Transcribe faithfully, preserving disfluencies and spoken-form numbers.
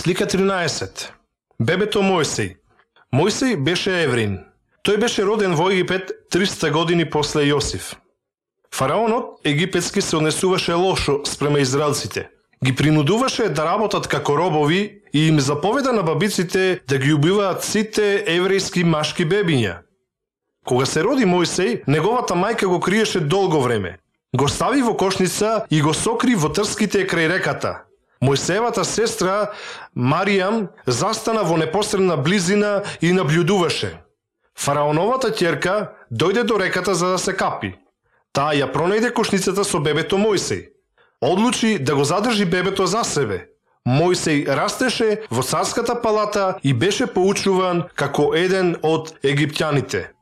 Слика тринаесет. Бебето Мојсей. Мојсей беше еврин. Тој беше роден во Египет триста години после Јосиф. Фараонот египетски се однесуваше лошо спрема израелците. Ги принудуваше да работат како робови и им заповеда на бабиците да ги убиваат сите еврејски машки бебиња. Кога се роди Мојсей, неговата мајка го криеше долго време. Го стави во кошница и го сокри во трските крај реката. Мојсеевата сестра Маријам застана во непосредна близина и наблюдуваше. Фараоновата ќерка дојде до реката за да се капи. Таа ја пронајде кошницата со бебето Мојсей. Одлучи да го задржи бебето за себе. Мојсей растеше во царската палата и беше поучуван како еден од египтјаните.